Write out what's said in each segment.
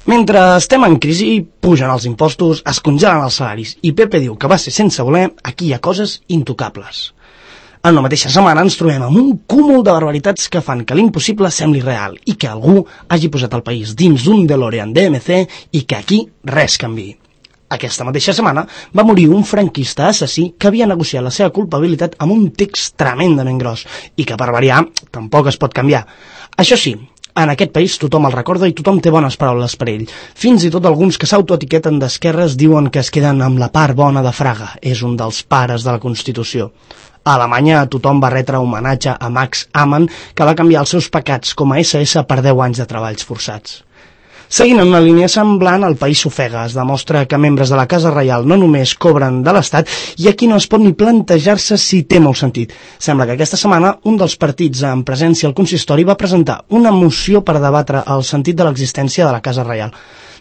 Mentre estem en crisi, pugen els impostos, es congelen els salaris i Pepe diu que va ser sense voler, aquí hi ha coses intocables. En la mateixa setmana ens trobem amb un cúmul de barbaritats que fan que l'impossible sembli real i que algú hagi posat el país dins d'un DeLorean DMC i que aquí res canviï. Aquesta mateixa setmana va morir un franquista assassí que havia negociat la seva culpabilitat amb un text tremendament gros i que per variar tampoc es pot canviar. Això sí, en aquest país tothom el recorda i tothom té bones paraules per ell. Fins i tot alguns que s'autoetiqueten d'esquerres diuen que es queden amb la part bona de Fraga. És un dels pares de la Constitució. A Alemanya tothom va retre homenatge a Max Amann, que va canviar els seus pecats com a SS per 10 anys de treballs forçats. Seguint en una línia semblant, el país s'ofega. Es demostra que membres de la Casa Reial no només cobren de l'Estat i aquí no es pot ni plantejar-se si té molt sentit. Sembla que aquesta setmana un dels partits en presència al consistori va presentar una moció per debatre el sentit de l'existència de la Casa Reial.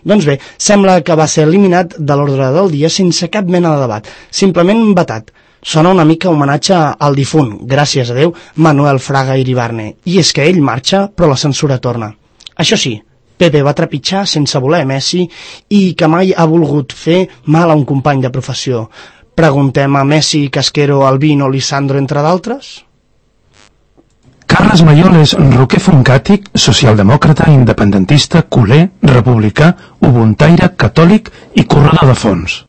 Doncs bé, sembla que va ser eliminat de l'ordre del dia sense cap mena de debat, simplement vetat. Sona una mica homenatge al difunt, gràcies a Déu, Manuel Fraga Iribarne. I és que ell marxa, però la censura torna. Això sí, Pepe va trepitjar sense voler Messi i que mai ha volgut fer mal a un company de professió. Preguntem a Messi, Casquero, Albino, Lisandro, entre d'altres? Carles Mayol és roquer foncàtic, socialdemòcrata, independentista, culer, republicà, ubuntaire, catòlic i corredor de fons.